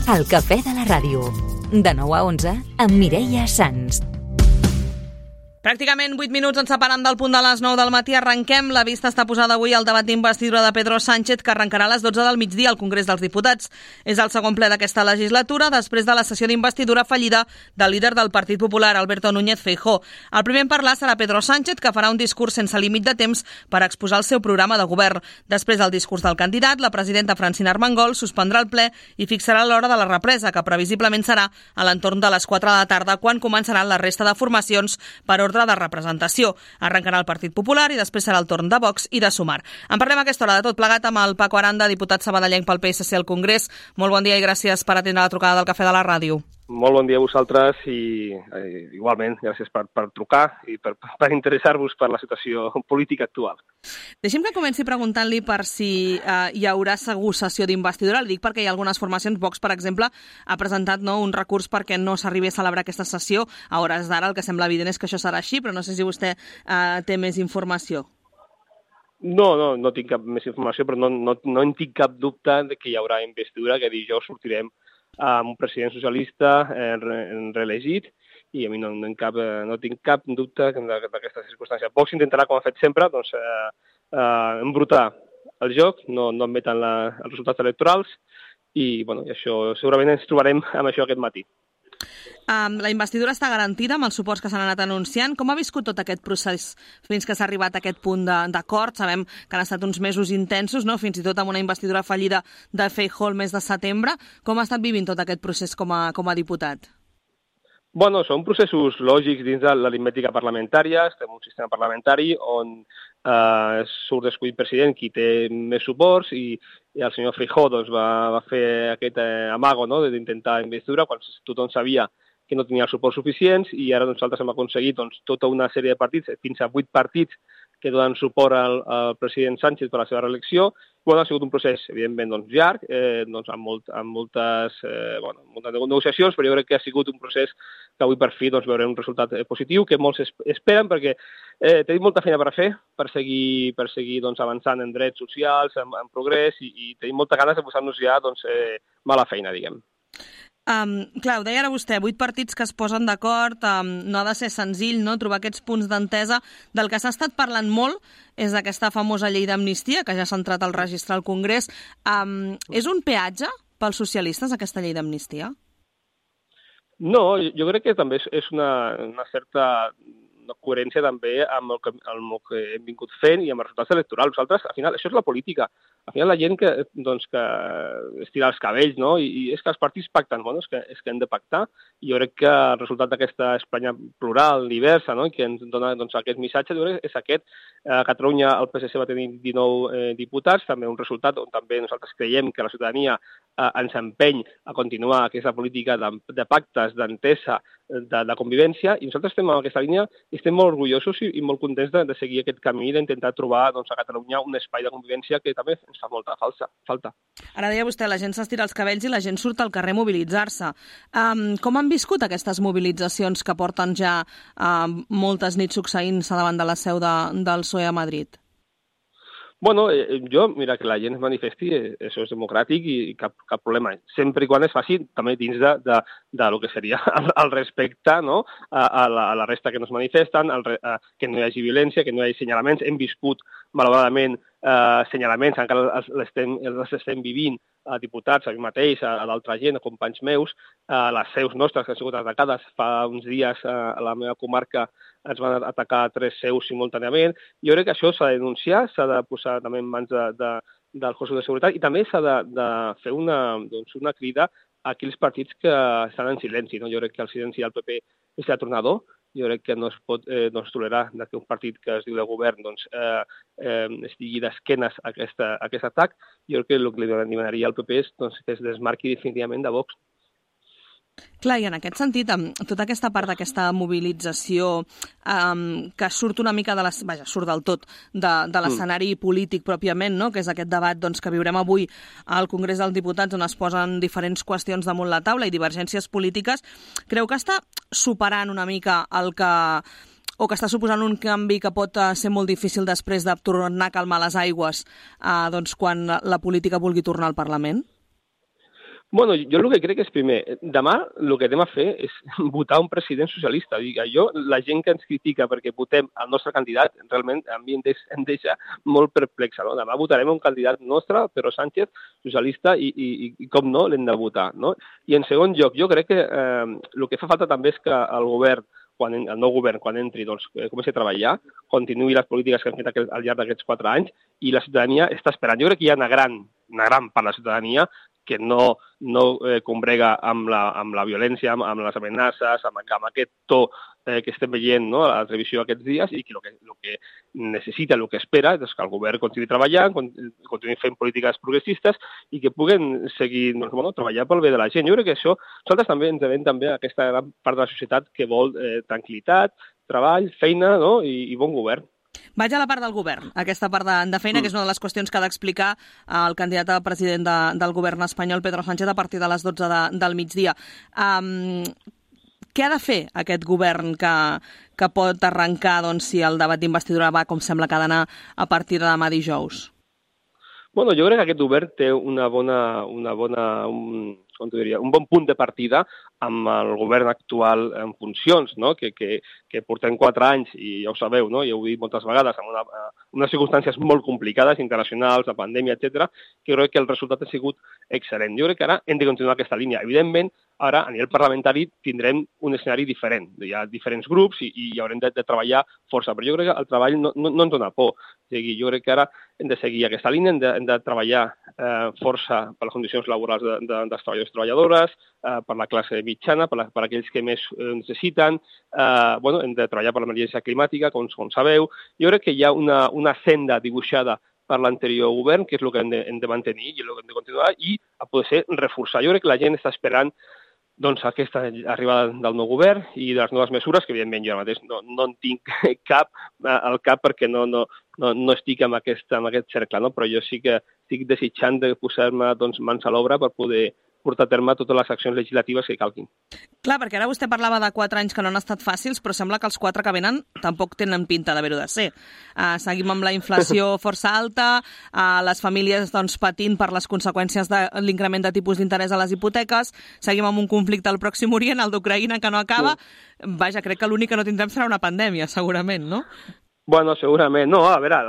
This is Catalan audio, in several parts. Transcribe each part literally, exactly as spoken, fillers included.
El cafè de la ràdio. De nou a onze, amb Mireia Sans. Pràcticament vuit minuts ens separen del punt de les nou del matí. Arrenquem. La vista està posada avui al debat d'investidura de Pedro Sánchez, que arrencarà a les dotze del migdia al Congrés dels Diputats. És el segon ple d'aquesta legislatura, després de la sessió d'investidura fallida del líder del Partit Popular, Alberto Núñez Feijóo. El primer en parlar serà Pedro Sánchez, que farà un discurs sense límit de temps per exposar el seu programa de govern. Després del discurs del candidat, la presidenta Francina Armengol suspendrà el ple i fixarà l'hora de la represa, que previsiblement serà a l'entorn de les quatre de la tarda, quan començaran la resta de formacions per ordre de representació. Arrencarà el Partit Popular i després serà el torn de Vox i de Sumar. En parlem a aquesta hora de tot plegat amb el Paco Aranda, diputat sabadellenc pel P S C al Congrés. Molt bon dia i gràcies per atendre la trucada del Cafè de la Ràdio. Molt bon dia a vosaltres i eh, igualment gràcies per, per trucar i per, per interessar-vos per la situació política actual. Deixi'm que comenci preguntant-li per si eh, hi haurà segur sessió d'investidura. Li dic perquè hi ha algunes formacions. Vox, per exemple, ha presentat no, un recurs perquè no s'arribi a celebrar aquesta sessió. A hores d'ara el que sembla evident és que això serà així, però no sé si vostè eh, té més informació. No, no, no tinc cap més informació, però no, no, no en tinc cap dubte de que hi haurà investidura, que dijous sortirem amb un president socialista eh, reelegit i a mi no, no, cap, no tinc cap dubte d'aquesta circumstància. Vox intentarà, com ha fet sempre, doncs, eh, eh, embrutar el joc, no, no admeten la, els resultats electorals i bueno, això segurament ens trobarem amb això aquest matí. Um, la investidura està garantida amb els suports que s'han anat anunciant. Com ha viscut tot aquest procés fins que s'ha arribat a aquest punt d'acord? Sabem que han estat uns mesos intensos, no? Fins i tot amb una investidura fallida de Feijóo el mes de setembre. Com ha estat vivint tot aquest procés com a, com a diputat? Bueno, són processos lògics dins de l'aritmètica parlamentària. Estem en un sistema parlamentari on eh, surt escollit president qui té més suports i, i el senyor Feijóo doncs, va, va fer aquest eh, amago no? d'intentar investidura quan tothom sabia que no tenia els suports suficients i ara nosaltres hem aconseguit doncs, tota una sèrie de partits, fins a vuit partits que donen suport al, al president Sánchez per a la seva reelecció. Bueno, ha sigut un procés, evidentment, doncs, llarg, eh, doncs, amb, molt, amb moltes, eh, bueno, moltes negociacions, però jo crec que ha sigut un procés que avui per fi doncs, veurem un resultat eh, positiu, que molts es, esperen, perquè eh, tenim molta feina per fer, per seguir, per seguir doncs, avançant en drets socials, en, en progrés, i, i tenim molta ganes de posar-nos ja doncs, eh, mala feina, diguem. Um, clar, ho deia ara vostè, vuit partits que es posen d'acord, um, no ha de ser senzill no? Trobar aquests punts d'entesa. Del que s'ha estat parlant molt és d'aquesta famosa llei d'amnistia, que ja s'ha entrat al registre al Congrés. Um, és un peatge pels socialistes, aquesta llei d'amnistia? No, jo crec que també és una, una certa una coherència també amb el, que, amb el que hem vingut fent i amb els resultats electorals. Nosaltres, al final, això és la política. Al final la gent que, doncs, que estira els cabells, no? I, i és que els partits pacten, bueno, és que, és que hem de pactar. I jo crec que el resultat d'aquesta Espanya plural, diversa, no? I que ens dona doncs, aquest missatge, jo crec que és aquest. A Catalunya el P S C va tenir dinou eh, diputats, també un resultat on també nosaltres creiem que la ciutadania eh, ens empeny a continuar aquesta política de, de pactes, d'entesa, de, de convivència, i nosaltres estem en aquesta línia i estem molt orgullosos i, i molt contents de, de seguir aquest camí, d'intentar trobar doncs, a Catalunya un espai de convivència que també ens fa molta falsa, falta. Ara deia vostè, la gent s'estira els cabells i la gent surt al carrer a mobilitzar-se. Um, com han viscut aquestes mobilitzacions que porten ja uh, moltes nits succeint-se davant de la seu de, del P S O E a Madrid? Bueno, eh, jo, mira, que la gent es manifesti, eh, això és democràtic i cap, cap problema. Sempre i quan es faci també dins de, de, de lo que seria el, el respecte no? a, a, la, a la resta que no es manifesten, el, a, que no hi hagi violència, que no hi hagi senyalaments. Hem viscut, malauradament, eh, senyalaments, encara els, els, estem, els estem vivint a diputats, a mi mateix, a, a d'altra gent, a companys meus, a les seus nostres que han sigut atacades. Fa uns dies a, a la meva comarca ens van atacar tres seus simultàniament. Jo crec que això s'ha de denunciar, s'ha de posar també en mans de, de, del cos de seguretat i també s'ha de, de fer una, doncs, una crida a aquells partits que estan en silenci. No? Jo crec que el silenci del P P és atronador. Jo crec que no es pot eh, no es tolerar que un partit que es diu de govern doncs, eh, eh, estigui d'esquenes a, aquesta, a aquest atac. Jo crec que el que li demanaria al P P és doncs, que es desmarqui definitivament de Vox. Clar, i en aquest sentit, amb tota aquesta part d'aquesta mobilització um, que surt una mica de les, vaja, surt del tot de, de l'escenari mm. polític pròpiament, no? Que és aquest debat doncs, que viurem avui al Congrés dels Diputats on es posen diferents qüestions damunt la taula i divergències polítiques, creu que està superant una mica el que o que està suposant un canvi que pot ser molt difícil després de tornar a calmar les aigües eh, doncs, quan la política vulgui tornar al Parlament? Bueno, jo el que crec és, primer, demà el que anem a fer és votar un president socialista. Dic, jo, la gent que ens critica perquè votem el nostre candidat, realment a mi em deixa, em deixa molt perplexa. No? Demà votarem un candidat nostre, Pedro Sánchez, socialista, i, i, i com no, l'hem de votar. No? I en segon lloc, jo crec que eh, el que fa falta també és que el govern, quan, el nou govern, quan entri, doncs, comenci a treballar, continuï les polítiques que han fet al llarg d'aquests quatre anys, i la ciutadania està esperant. Jo crec que hi ha una gran, una gran part de la ciutadania que no, no eh, combrega amb la, amb la violència, amb, amb les amenaces, amb, amb aquest to eh, que estem veient, no, a la televisió aquests dies, i que el que, lo que necessita, el que espera, és que el govern continuï treballant, continuï fent polítiques progressistes i que puguen seguir, doncs, bueno, treballar pel bé de la gent. Jo crec que això, nosaltres també ens devem també a aquesta gran part de la societat que vol eh, tranquil·litat, treball, feina, no, i, i bon govern. Vaig a la part del govern, aquesta part de, de feina, mm. que és una de les qüestions que ha d'explicar el candidat a president de, del govern espanyol, Pedro Sánchez, a partir de les dotze de, del migdia. Um, què ha de fer aquest govern que, que pot arrencar, doncs, si el debat d'investidura va com sembla que ha d'anar a partir de demà dijous? Bueno, jo crec que aquest govern té una bona, una bona un, com t'ho diria, un bon punt de partida amb el govern actual en funcions, no? que, que, que portem quatre anys, i ja ho sabeu, no? ja ho he dit moltes vegades, amb una, unes circumstàncies molt complicades, internacionals, la pandèmia, etcètera, que crec que el resultat ha sigut excel·lent. Jo crec que ara hem de continuar aquesta línia. Evidentment, ara, a nivell parlamentari, tindrem un escenari diferent. Hi ha diferents grups i, i haurem de, de treballar força, però jo crec que el treball no, no, no ens dona por. O sigui, jo crec que ara hem de seguir aquesta línia, hem de, hem de treballar eh, força per les condicions laborals de, de, dels treballadors i treballadores, eh, per la classe mitjana, per, la, per aquells que més eh, necessiten. Eh, bueno, hem de treballar per l'emergència climàtica, com, com sabeu. Jo crec que hi ha una, una senda dibuixada per l'anterior govern, que és el que hem de, hem de mantenir i el que hem de continuar, i a poder ser reforçar. Jo crec que la gent està esperant doncs, aquesta arribada del nou govern i de les noves mesures, que evidentment jo ara mateix no, no en tinc cap al cap perquè no, no, no, no estic en aquest, en aquest cercle, no? Però jo sí que estic desitjant de posar-me doncs, mans a l'obra per poder portar a terme totes les accions legislatives que calguin. Clar, perquè ara vostè parlava de quatre anys que no han estat fàcils, però sembla que els quatre que venen tampoc tenen pinta d'haver-ho de ser. Uh, seguim amb la inflació força alta, uh, les famílies doncs, patint per les conseqüències de l'increment de tipus d'interès a les hipoteques, seguim amb un conflicte al Pròxim Orient, el d'Ucraïna, que no acaba. Sí. Vaja, crec que l'únic que no tindrem serà una pandèmia, segurament, no? Bueno, segurament. No, a veure,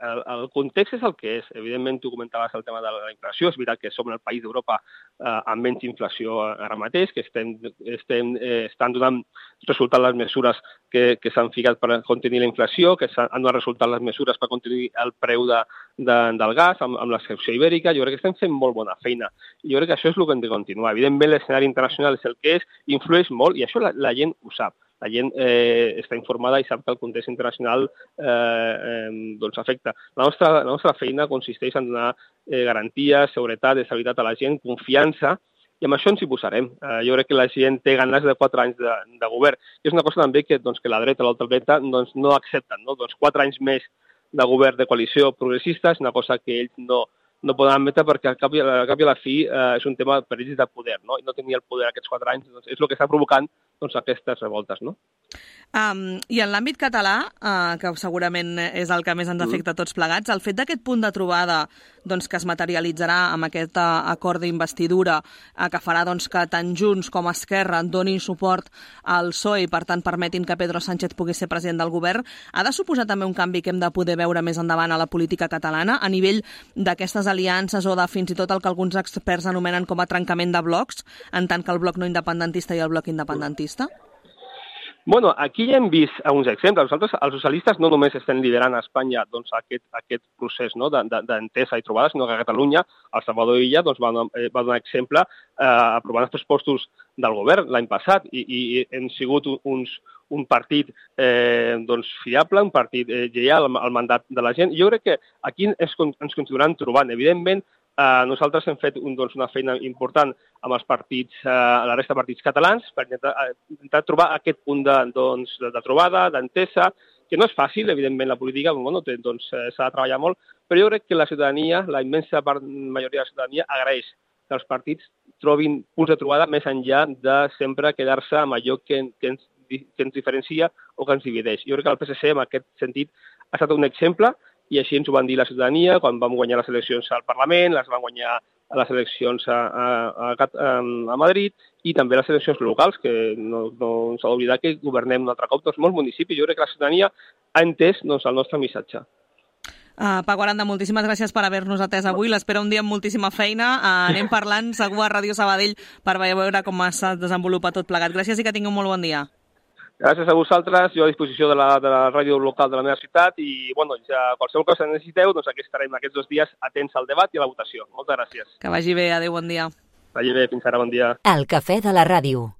el, el context és el que és. Evidentment, tu comentaves el tema de la inflació. És veritat que som el país d'Europa eh, amb menys inflació ara mateix, que estem, estem, eh, estan donant resultat les mesures que, que s'han ficat per contenir la inflació, que han donat resultat les mesures per contenir el preu de, de, del gas amb, amb l'excepció ibèrica. Jo crec que estem fent molt bona feina. Jo crec que això és el que hem de continuar. Evidentment, l'escenari internacional és el que és, influeix molt, i això la, la gent ho sap. La gent eh, està informada i sap que el context internacional eh, eh, doncs afecta. La nostra, la nostra feina consisteix en donar eh, garanties, seguretat, estabilitat a la gent, confiança, i amb això ens hi posarem. Eh, jo crec que la gent té ganes de quatre anys de, de govern. I és una cosa també que, doncs, que la dreta i l'ultradreta doncs, no accepten. No? Doncs quatre anys més de govern de coalició progressista és una cosa que ells no, no poden admetre perquè al cap i a la, cap i a la fi eh, és un tema per ells de poder, no? I no tenir el poder aquests quatre anys doncs, és el que està provocant doncs, aquestes revoltes, no? Um, I en l'àmbit català, uh, que segurament és el que més ens afecta a tots plegats, el fet d'aquest punt de trobada doncs, que es materialitzarà amb aquest uh, acord d'investidura uh, que farà doncs, que tant Junts com Esquerra donin suport al P S O E i per tant permetin que Pedro Sánchez pugui ser president del govern, ha de suposar també un canvi que hem de poder veure més endavant a la política catalana a nivell d'aquestes aliances o de fins i tot el que alguns experts anomenen com a trencament de blocs, en tant que el bloc no independentista i el bloc independentista? Bueno, aquí ja hem vist uns exemples. Nosaltres, els socialistes, no només estem liderant a Espanya doncs, aquest, aquest procés no, d'entesa i trobada, sinó que a Catalunya, el Salvador Illa doncs, va, va donar exemple eh, aprovant els pressupostos del govern l'any passat i, i hem sigut uns, un partit eh, doncs, fiable, un partit eh, lleial al, al mandat de la gent. Jo crec que aquí ens, ens continuaran trobant. Evidentment, Uh, nosaltres hem fet un, doncs, una feina important amb els partits, uh, la resta de partits catalans per intentar, uh, intentar trobar aquest punt de, doncs, de, de trobada, d'entesa, que no és fàcil, evidentment, la política, bueno, té, doncs, uh, s'ha de treballar molt, però jo crec que la ciutadania, la immensa part, majoria de la ciutadania, agraeix que els partits trobin punts de trobada més enllà de sempre quedar-se amb allò que, que, ens, que ens diferencia o que ens divideix. Jo crec que el P S C, en aquest sentit, ha estat un exemple, i així ens ho van dir la ciutadania quan vam guanyar les eleccions al Parlament, les van guanyar a les eleccions a, a, a, a Madrid i també les eleccions locals, que no, no s'ha d'oblidar que governem un altre cop doncs, molts municipis. Jo crec que la ciutadania ha entès doncs, el nostre missatge. Uh, Paco Aranda, moltíssimes gràcies per haver-nos atès avui. L'espera un dia amb moltíssima feina. Uh, anem parlant segur a Ràdio Sabadell per veure com es desenvolupa tot plegat. Gràcies i que tingueu un molt bon dia. Gràcies a vosaltres, jo a disposició de la, de la ràdio local de la meva ciutat i bueno, ja qualsevol cosa que necessiteu, doncs aquí estarem aquests dos dies atents al debat i a la votació. Moltes gràcies. Que vagi bé, adéu, bon dia. Vagi bé, fins ara, bon dia. El cafè de la ràdio.